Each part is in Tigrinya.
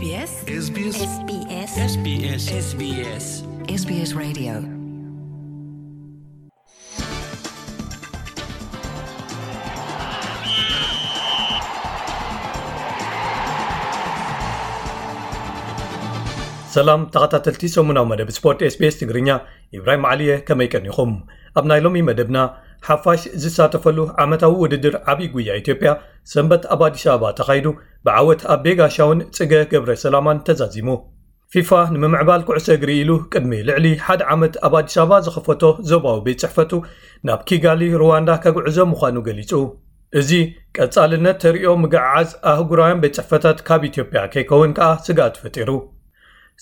SBS SBS SBS SBS SBS Radio. ሰላም ተኸታተልቲ ሰሙናዊ መደብ ስፖርት SBS ትግርኛ፣ ኢብራሂም ዓሊየ፣ ከመይ ቀኒኹም? ኣብ ናይ ሎሚ መደብና፣ ሓፋሽ ዝሳተፈሉ ዓመታዊ ውድድር ዓብዪ ጉያ ኢትዮጵያ ሰንበት ኣብ ኣዲስ ኣበባ ተኻይዱ፣ ብዓወት ኣቤ ጋሻውን ጽገ ገብረ ሰላማን ተዛዚሙ። ፊፋ ንምምዕባል ኩዕሶ እግሪ ኢሉ ቅድሚ ልዕሊ ሓደ ዓመት ኣብ ኣዲስ ኣበባ ዝኸፈቶ ዞባዊ ቤት ጽሕፈቱ ናብ ኪጋሊ ሩዋንዳ ከግዕዞ ምዃኑ ገሊጹ። እዚ ቀጻልነት ተርእዮ ምግዕዓዝ ኣህጉራውያን ቤት ጽሕፈታት ካብ ኢትዮጵያ ከይከውን ከኣ ስግኣት ፈጢሩ።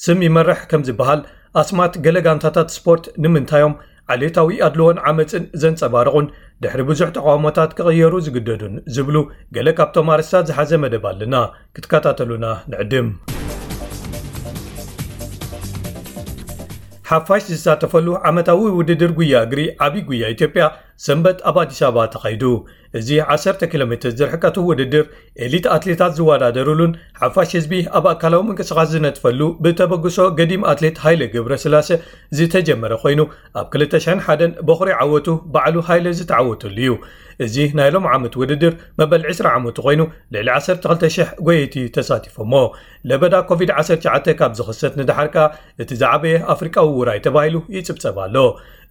ስም ይመርሕ ከም ዝበሃል፣ ኣስማት ገለ ጋንታታት ስፖርት ንምንታዮም ዓሌታዊ ኣድልዎን ዓመጽን ዘንጸባርቑን ድሕሪ ብዙሕ ተቓውሞታት ክቕየሩ ዝግደዱን ዝብሉ ገለ ካብቶም ኣርእስታት ዝሓዘ መደብ ኣለና። ክትከታተሉና ንዕድም። ሓፋሽ ዝሳተፈሉ ዓመታዊ ውድድር ጉያ እግሪ ዓቢ ጉያ ኢትዮጵያ ሰንበት ኣብ ኣዲስ ኣበባ ተኻይዱ። እዚ ዓሰርተ ኪሎ ሜትር ዝርሕቀቱ ውድድር ኤሊት ኣትሌታት ዝወዳደሩሉን ሓፋሽ ህዝቢ ኣብ ኣካላዊ ምንቅስቓስ ዝነጥፈሉ ብተበግሶ ገዲም ኣትሌት ሃይለ ገብረስላሴ ዝተጀመረ ኮይኑ፣ ኣብ ክልተ ሽሕን ሓደን በኹሪ ዓወቱ ባዕሉ ሃይለ ዝተዓወተሉ እዩ። እዚ ናይ ሎም ዓመት ውድድር መበል ዕስራ ዓመቱ ኮይኑ፣ ልዕሊ ዓሰርተ ክልተ ሽሕ ጎየይቲ ተሳቲፎሞ። ለበዳ ኮቪድ ዓሰርተ ትሽዓተ ካብ ዝኽሰት ንደሓር ከኣ እቲ ዝዓበየ ኣፍሪቃዊ ውራይ ተባሂሉ ይጽብጸብ ኣሎ።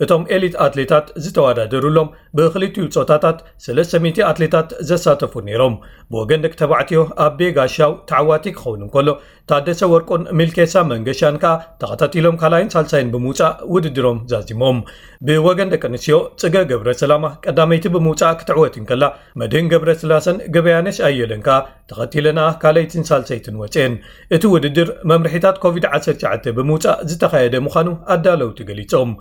እቶም ኤሊት ኣትሌታት ዝተወዳደሩሎም ብኽልቲኡ ጾታታት ሰለስተ ሚእቲ ኣትሌታት ዘሳተፉ ነይሮም። ብወገን ደቂ ተባዕትዮ ኣቤ ጋሻው ተዓዋቲ ክኸውን እንከሎ፣ ታደሰ ወርቁን ሚልኬሳ መንገሻን ከኣ ተኸታቲሎም ካልኣይን ሳልሳይን ብምውጻእ ውድድሮም ዛዚሞም። ብወገን ደቂ ኣንስትዮ ጽገ ገብረ ሰላማ ቀዳመይቲ ብምውጻእ ክትዕወት እንከላ፣ መድህን ገብረ ስላሰን ገበያነሽ ኣየለን ከኣ ተኸቲለና ካልኣይትን ሳልሰይትን ወጽኤን። እቲ ውድድር መምርሒታት ኮቪድ ዓሰርተ ትሽዓተ ብምውጻእ ዝተኻየደ ምዃኑ ኣዳለውቲ ገሊጾም።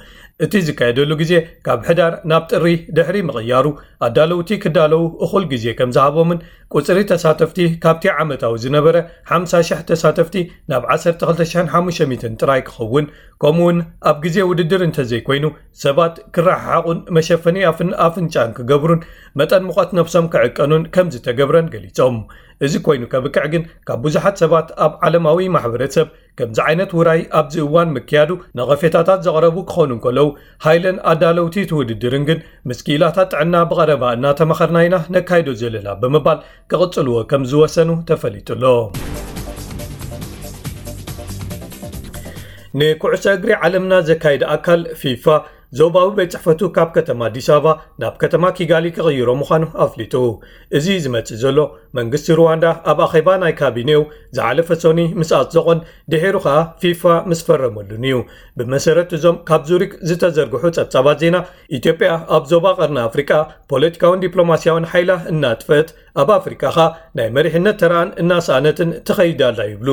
እቲ ዝካየደሉ ግዜ ካብ ሕዳር ናብ ጥሪ ድሕሪ ምቕያሩ፣ ኣዳለውቲ ክዳለዉ እኹል ግዜ ከም ዝሃቦምን ቁጽሪ ተሳተፍቲ ካብቲ ዓመታዊ ዝነበረ ሓምሳ ሽሕ ተሳተፍቲ ናብ ዓሰርተ ክልተ ሽሕን ሓሙሽተ ሚእትን ጥራይ ክኸውን፣ ከምኡውን ኣብ ግዜ ውድድር እንተዘይኮይኑ ሰባት ክረሓሓቑን መሸፈኒ ኣፍን ኣፍንጫን ክገብሩን መጠን ሙቐት ነብሶም ክዕቀኑን ከም ዝተገብረን ገሊጾም። እዚ ኮይኑ ከብቅዕ ግን ካብ ብዙሓት ሰባት ኣብ ዓለማዊ ማሕበረሰብ ከምዚ ዓይነት ውራይ ኣብዚ እዋን ምክያዱ ነቐፌታታት ዘቕረቡ ክኾኑ እንከለዉ፣ ሃይለን ኣዳለውቲ እቲ ውድድርን ግን ምስ ክኢላታት ጥዕና ብቐረባ እናተማኸርና ኢና ነካይዶ ዘለና ብምባል ክቕጽልዎ ከም ዝወሰኑ ተፈሊጡ ኣሎ። ንኩዕሶ እግሪ ዓለምና ዘካይድ ኣካል ፊፋ ዞባዊ ቤት ጽሕፈቱ ካብ ከተማ ኣዲስ ኣበባ ናብ ከተማ ኪጋሊ ክቕይሮ ምዃኑ ኣፍሊጡ። እዚ ዝመጽእ ዘሎ መንግስቲ ሩዋንዳ ኣብ ኣኼባ ናይ ካቢኔው ዝሓለፈ ሰኑይ ምስ ኣጽደቖን ድሒሩ ኸኣ ፊፋ ምስ ፈረመሉን እዩ። ብመሰረት እዞም ካብ ዙሪክ ዝተዘርግሑ ጸብጻባት ዜና፣ ኢትዮጵያ ኣብ ዞባ ቀርኒ ኣፍሪቃ ፖለቲካውን ዲፕሎማስያውን ሓይላ እናጥፈት፣ ኣብ ኣፍሪቃ ኸኣ ናይ መሪሕነት ተራኣን እናሰኣነትን ትኸይድ ኣላ ይብሉ።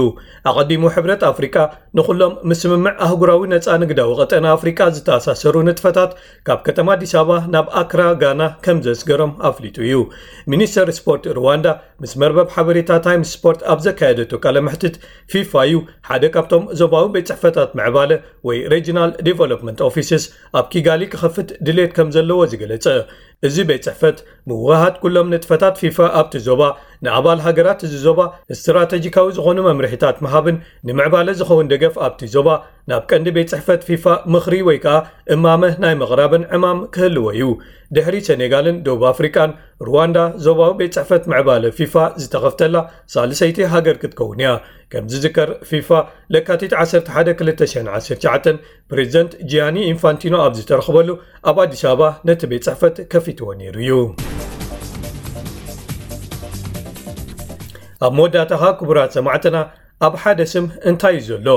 ኣቐዲሙ ሕብረት ኣፍሪቃ ንኹሎም ምስምምዕ ኣህጉራዊ ነጻ ንግዳዊ ቀጠና ኣፍሪቃ ዝተኣሳሰሩ ንጥፈታት ካብ ከተማ ኣዲስ ኣበባ ናብ ኣክራ ጋና ከም ዘስገሮም ኣፍሊጡ እዩ። ሚኒስተር ስፖርት ሩዋንዳ ምስ መርበብ ሓበሬታ ታይምስ ስፖርት ኣብ ዘካየደቶ ቃለ መሕትት፣ ፊፋ እዩ ሓደ ካብቶም ዞባዊ ቤት ጽሕፈታት ምዕባለ ወይ ሬጂናል ዴቨሎፕመንት ኦፊስስ ኣብ ኪጋሊ ክኸፍት ድሌት ከም ዘለዎ ዝገለጸ። እዚ ቤት ጽሕፈት ምውህሃድ ኩሎም ንጥፈታት ፊፋ ኣብቲ ዞባ፣ ንኣባል ሃገራት እዚ ዞባ ስትራተጂካዊ ዝኾኑ መምርሒታት ምሃብን ንምዕባለ ዝኸውን ደገፍ ኣብቲ ዞባ ናብ ቀንዲ ቤት ጽሕፈት ፊፋ ምኽሪ ወይ ከኣ እማመ ናይ ምቕራብን ዕማም ክህልዎ እዩ። ድሕሪ ሰኔጋልን ደቡብ ኣፍሪቃን፣ ሩዋንዳ ዞባዊ ቤት ጽሕፈት ምዕባለ ፊፋ ዝተኸፍተላ ሳልሰይቲ ሃገር ክትከውን እያ። ከም ዝዝከር፣ ፊፋ ለካቲት ዓሰርተ ሓደ ክልተ ሽሕን ዓሰርተ ትሽዓተን ፕሬዚደንት ጂያኒ ኢንፋንቲኖ ኣብ ዝተረኽበሉ ኣብ ኣዲስ ኣበባ ነቲ ቤት ጽሕፈት ከፊትዎ ነይሩ እዩ። ኣብ መወዳእታኻ ክቡራት ሰማዕትና፣ ኣብ ሓደ ስም እንታይ እዩ ዘሎ?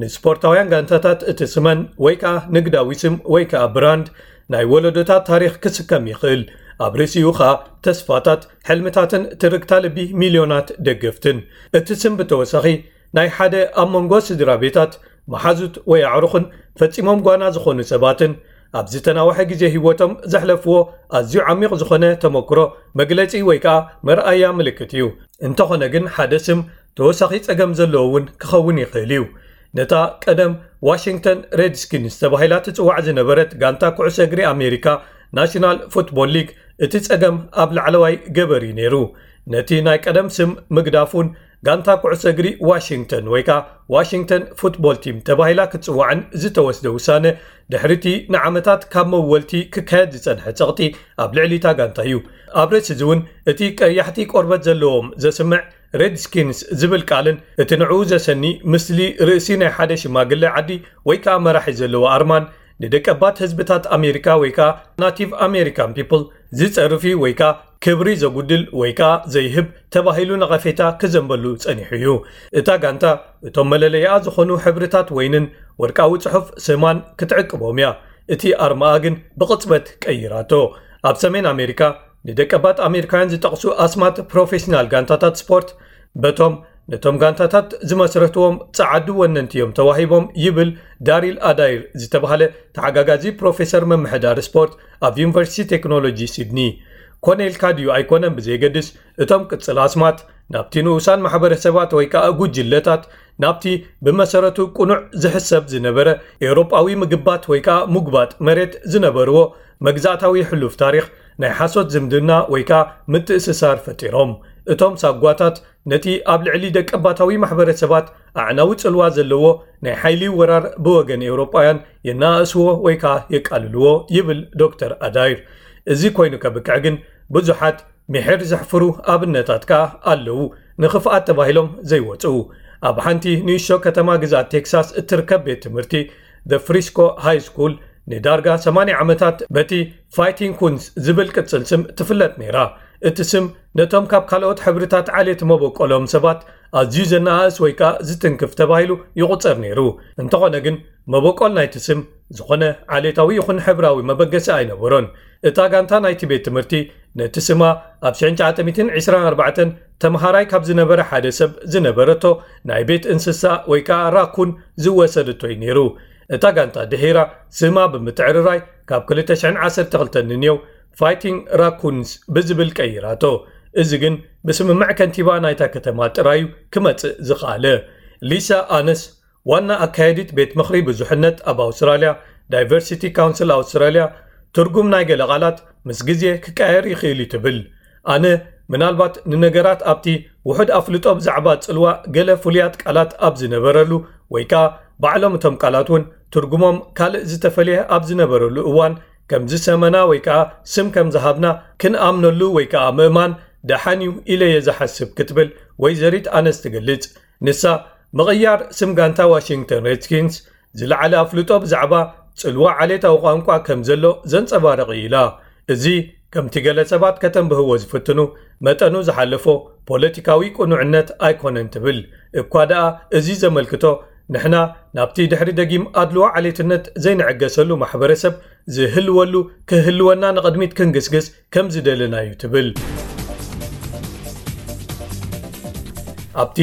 ንስፖርታውያን ጋንታታት እቲ ስመን ወይ ከኣ ንግዳዊ ስም ወይ ከኣ ብራንድ ናይ ወለዶታት ታሪኽ ክስከም ይኽእል። ኣብ ርእሲኡ ኸኣ ተስፋታት፣ ሕልምታትን ትርግታ ልቢ ሚልዮናት ደገፍትን። እቲ ስም ብተወሳኺ ናይ ሓደ ኣብ መንጎ ስድራ ቤታት፣ መሓዙት ወይ ኣዕሩኽን ፈጺሞም ጓና ዝኾኑ ሰባትን ኣብ ዝተናውሐ ግዜ ህይወቶም ዘሕለፍዎ ኣዝዩ ዓሚቕ ዝኾነ ተመክሮ መግለጺ ወይ ከኣ መርኣያ ምልክት እዩ። እንተኾነ ግን ሓደ ስም ተወሳኺ ጸገም ዘለዎ እውን ክኸውን ይኽእል እዩ። ነታ ቀደም ዋሽንግተን ሬድስኪንስ ተባሂላ ትጽዋዕ ዝነበረት ጋንታ ኩዕሶ እግሪ ኣሜሪካ፣ ናሽናል ፉትቦል ሊግ፣ እቲ ጸገም ኣብ ላዕለዋይ ገበር እዩ ነይሩ። ነቲ ናይ ቀደም ስም ምግዳፉን ጋንታ ኩዕሶ እግሪ ዋሽንግተን ወይ ከዓ ዋሽንግተን ፉትቦል ቲም ተባሂላ ክትፅዋዕን ዝተወስደ ውሳነ፣ ድሕሪቲ ንዓመታት ካብ መወልቲ ክካየድ ዝፀንሐ ፀቕጢ ኣብ ልዕሊ እታ ጋንታ እዩ። ኣብ ርእሲ እዚ እውን እቲ ቀያሕቲ ቆርበት ዘለዎም ዘስምዕ ሬድስኪንስ ዝብል ቃልን እቲ ንዕኡ ዘሰኒ ምስሊ ርእሲ ናይ ሓደ ሽማግለ ዓዲ ወይ ከዓ መራሒ ዘለዎ ኣርማን ንደቀባት ህዝብታት ኣሜሪካ ወይ ከዓ ናቲቭ ኣሜሪካን ፒፕል ዝፀርፍ እዩ ወይ ከዓ ክብሪ ዘጉድል ወይ ከዓ ዘይህብ ተባሂሉ ነቐፌታ ክዘንበሉ ፀኒሑ እዩ። እታ ጋንታ እቶም መለለይኣ ዝኾኑ ሕብርታት ወይንን ወርቃዊ ፅሑፍ ስማን ክትዕቅቦም እያ። እቲ ኣርማኣ ግን ብቕፅበት ቀይራቶ። ኣብ ሰሜን ኣሜሪካ ንደቀባት ኣሜሪካውያን ዝጠቕሱ ኣስማት ፕሮፌሽናል ጋንታታት ስፖርት በቶም ነቶም ጋንታታት ዝመስረትዎም ጸዓዱ ወነንቲ እዮም ተዋሂቦም ይብል ዳሪል ኣዳይር ዝተባህለ ተሓጋጋዚ ፕሮፌሰር ምምሕዳር ስፖርት ኣብ ዩኒቨርሲቲ ቴክኖሎጂ ሲድኒ። ኮነ ኢልካ ድዩ ኣይኮነን ብዘየገድስ፣ እቶም ቅጽል ኣስማት ናብቲ ንኡሳን ማሕበረሰባት ወይ ከኣ ጉጅለታት፣ ናብቲ ብመሰረቱ ቅኑዕ ዝሕሰብ ዝነበረ ኤውሮጳዊ ምግባት ወይ ከኣ ሙግባጥ መሬት ዝነበርዎ መግዛእታዊ ሕሉፍ ታሪኽ ናይ ሓሶት ዝምድና ወይ ከኣ ምትእስሳር ፈጢሮም። እቶም ሳጓታት ነቲ ኣብ ልዕሊ ደቀባታዊ ማሕበረሰባት ኣዕናዊ ጽልዋ ዘለዎ ናይ ሓይሊ ወራር ብወገን ኤውሮጳውያን የነኣእስዎ ወይ ከኣ የቃልልዎ ይብል ዶክተር ኣዳይር። እዚ ኮይኑ ከብቅዕ ግን ብዙሓት ምሒር ዘሕፍሩ ኣብነታት ከኣ ኣለዉ። ንኽፍኣት ተባሂሎም ዘይወጽኡ። ኣብ ሓንቲ ንእሽቶ ከተማ ግዝኣት ቴክሳስ እትርከብ ቤት ትምህርቲ፣ The Frisco High School፣ ንዳርጋ ሰማንያ ዓመታት በቲ ፋይቲንግ ኩንስ ዝብል ቅጽል ስም ትፍለጥ ነይራ። እቲ ስም ነቶም ካብ ካልኦት ሕብርታት ዓሌት መበቆሎም ሰባት ኣዝዩ ዘነኣእስ ወይ ከኣ ዝትንክፍ ተባሂሉ ይቑጸር ነይሩ። እንተኾነ ግን፣ መበቆል ናይቲ ስም ዝኾነ ዓሌታዊ ይኹን ሕብራዊ መበገሲ ኣይነበሮን። እታ ጋንታ ናይቲ ቤት ትምህርቲ ነቲ ስማ ኣብ ሽሕን ትሽዓተ ሚእትን ዕስራን ኣርባዕተን ተምሃራይ ካብ ዝነበረ ሓደ ሰብ ዝነበረቶ ናይ ቤት እንስሳ ወይ ከኣ ራኩን ዝወሰደቶ እዩ ነይሩ። እታ ጋንታ ድሒራ ስማ ብምትዕርራይ ካብ ክልተ ሽሕን ዓሰርተ ክልተን ንንየው ፋይቲንግ ራኩንስ ብዝብል ቀይራቶ። እዚ ግን ብስምምዕ ከንቲባ ናይታ ከተማ ጥራዩ ክመጽእ ዝኸኣለ። ሊሳ ኣነስ ዋና ኣካያዲት ቤት ምኽሪ ብዙሕነት ኣብ ኣውስትራልያ፣ ዳይቨርሲቲ ካውንስል ኣውስትራልያ፣ ትርጉም ናይ ገለ ቃላት ምስ ግዜ ክቀየር ይኽእል እዩ ትብል። ኣነ ምናልባት ንነገራት ኣብቲ ውሑድ ኣፍልጦ ብዛዕባ ጽልዋ ገለ ፍሉያት ቃላት ኣብ ዝነበረሉ ወይ ከኣ ባዕሎም እቶም ቃላት እውን ትርጉሞም ካልእ ዝተፈልየ ኣብ ዝነበረሉ እዋን ከም ዝሰመና ወይ ከኣ ስም ከም ዝሃብና ክንኣምነሉ ወይ ከኣ ምእማን ደሓን እዩ ኢለ እየ ዝሓስብ ክትብል ወይዘሪት ኣነስ ትገልጽ። ንሳ ምቕያር ስም ጋንታ ዋሽንግተን ሬድስኪንስ ዝለዓለ ኣፍልጦ ብዛዕባ ጽልዋ ዓሌታዊ ቋንቋ ከም ዘሎ ዘንጸባርቕ እዩ ኢላ። እዚ ከምቲ ገለ ሰባት ከተንብህዎ ዝፍትኑ መጠኑ ዝሓለፎ ፖለቲካዊ ቅኑዕነት ኣይኮነን ትብል። እኳ ደኣ እዚ ዘመልክቶ ንሕና ናብቲ ድሕሪ ደጊም ኣድልዎ ዓሌትነት ዘይንዕገሰሉ ማሕበረሰብ ዝህልወሉ ክህልወና ንቕድሚት ክንግስግስ ከም ዝደለና እዩ ትብል። ኣብቲ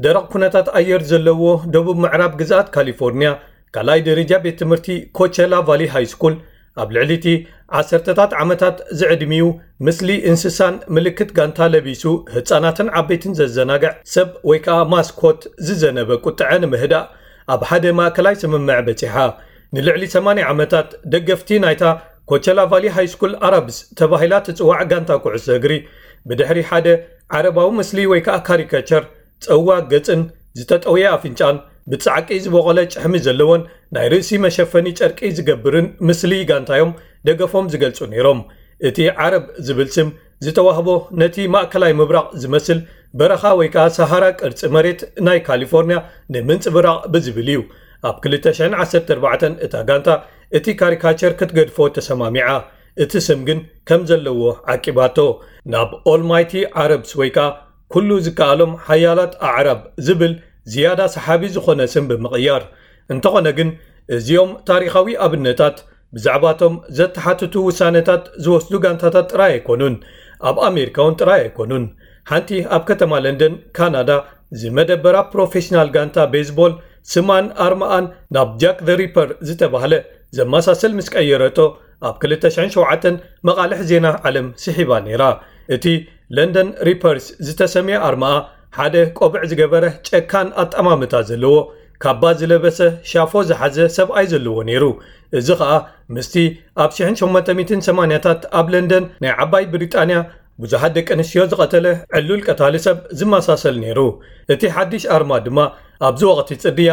ደረቕ ኩነታት ኣየር ዘለዎ ደቡብ ምዕራብ ግዝኣት ካሊፎርኒያ ካልኣይ ደረጃ ቤት ትምህርቲ ኮቸላ ቫሊ ሃይ ስኩል ኣብ ልዕሊ እቲ ዓሰርተታት ዓመታት ዝዕድሚኡ ምስሊ እንስሳን ምልክት ጋንታ ለቢሱ ህጻናትን ዓበይትን ዘዘናግዕ ሰብ ወይ ከኣ ማስኮት ዝዘነበ ቁጥዐ ንምህዳእ ኣብ ሓደ ማእከላይ ስምምዕ በጺሓ። ንልዕሊ ሰማንያ ዓመታት ደገፍቲ ናይታ ኮቸላ ቫሊ ሃይ ስኩል ኣረብስ ተባሂላ ትጽዋዕ ጋንታ ኩዕሶ እግሪ ብድሕሪ ሓደ ዓረባዊ ምስሊ ወይ ከኣ ካሪካቸር ጸዋግ ገጽን ዝተጠውየ ኣፍንጫን ብጻዕቂ ዝበቖለ ጭሕሚ ዘለዎን ናይ ርእሲ መሸፈኒ ጨርቂ ዝገብርን ምስሊ ጋንታዮም ደገፎም ዝገልጹ ነይሮም። እቲ ዓረብ ዝብል ስም ዝተዋህቦ ነቲ ማእከላይ ምብራቕ ዝመስል በረኻ ወይ ከኣ ሰሃራ ቅርጺ መሬት ናይ ካሊፎርኒያ ንምንጽብራቕ ብዝብል እዩ። ኣብ ክልተ ሽሕን ዓሰርተ ኣርባዕተን እታ ጋንታ እቲ ካሪካቸር ክትገድፎ ተሰማሚዓ፣ እቲ ስም ግን ከም ዘለዎ ዓቂባቶ። ናብ ኦልማይቲ ዓረብስ ወይ ከኣ ኩሉ ዝከኣሎም ሓያላት ኣዕራብ ዝብል ዝያዳ ሰሓቢ ዝኾነ ስም ብምቕያር። እንተኾነ ግን እዚኦም ታሪኻዊ ኣብነታት ብዛዕባቶም ዘተሓትቱ ውሳነታት ዝወስዱ ጋንታታት ጥራይ ኣይኮኑን፣ ኣብ ኣሜሪካ እውን ጥራይ ኣይኮኑን። ሓንቲ ኣብ ከተማ ለንደን ካናዳ ዝመደበራ ፕሮፌሽናል ጋንታ ቤዝቦል ስማን ኣርማኣን ናብ ጃክ ዘ ሪፐር ዝተባህለ ዘመሳሰል ምስ ቀየረቶ ኣብ ክልተ ሽሕን ሸውዓተን መቓልሕ ዜና ዓለም ስሒባ ነይራ። እቲ ለንደን ሪፐርስ ዝተሰምየ ኣርማኣ ሓደ ቆብዕ ዝገበረ ጨካን ኣጠማምታ ዘለዎ ካባ ዝለበሰ ሻፎ ዝሓዘ ሰብኣይ ዘለዎ ነይሩ። እዚ ኸኣ ምስቲ ኣብ ሽሕን ሸሞንተ ሚእትን ሰማንያታት ኣብ ለንደን ናይ ዓባይ ብሪጣንያ ብዙሓት ደቂ ኣንስትዮ ዝቐተለ ዕሉል ቀታሊ ሰብ ዝመሳሰል ነይሩ። እቲ ሓድሽ ኣርማ ድማ ኣብዚ ወቕቲ ጽድያ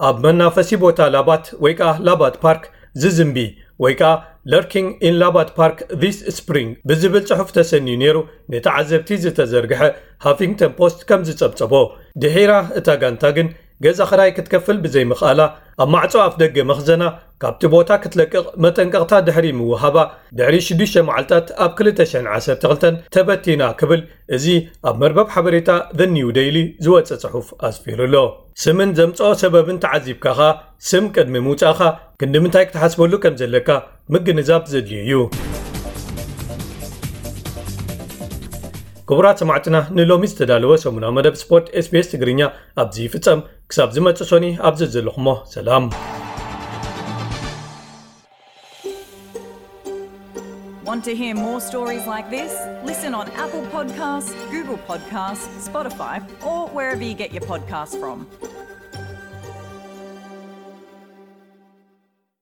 ኣብ መናፈሲ ቦታ ላባት ወይ ከኣ ላባት ፓርክ ዝዝንቢ ወይ ከኣ Lurking in Labat Park this spring ብዝብል ጽሑፍ ተሰንዩ ነይሩ ንተዓዘብቲ ዝተዘርግሐ ሃፊንግተን ፖስት ከም ዝጸብጸቦ። ድሒራ እታ ጋንታ ግን ገዛ ኽራይ ክትከፍል ብዘይምኽኣላ ኣብ ማዕጾ ኣፍ ደገ መኽዘና ካብቲ ቦታ ክትለቅቕ መጠንቀቕታ ድሕሪ ምውሃባ ድሕሪ ሽዱሽተ መዓልታት ኣብ ክልተ ሽሕን ዓሰርተ ክልተን ተበቲና ክብል እዚ ኣብ መርበብ ሓበሬታ The New Daily ዝወጸ ጽሑፍ ኣስፊሩ ኣሎ። ስምን ዘምጽኦ ሰበብን ተዓዚብካ ኸኣ ስም ቅድሚ ምውጻእኻ ክንዲ ምንታይ ክትሓስበሉ ከም ዘለካ ምግንዛብ ዘድልዮ እዩ። ክቡራት ሰማዕትና ንሎሚ ዝተዳለወ ሰሙናዊ መደብ ስፖርት SBS ትግርኛ ኣብዚ ይፍጸም። ክሳብ ዝመጽእ ሶኒ ኣብ ዘዘለኹሞ ሰላም። Want to hear more stories like this? Listen on Apple Podcasts, Google Podcasts, Spotify, or wherever you get your podcasts from.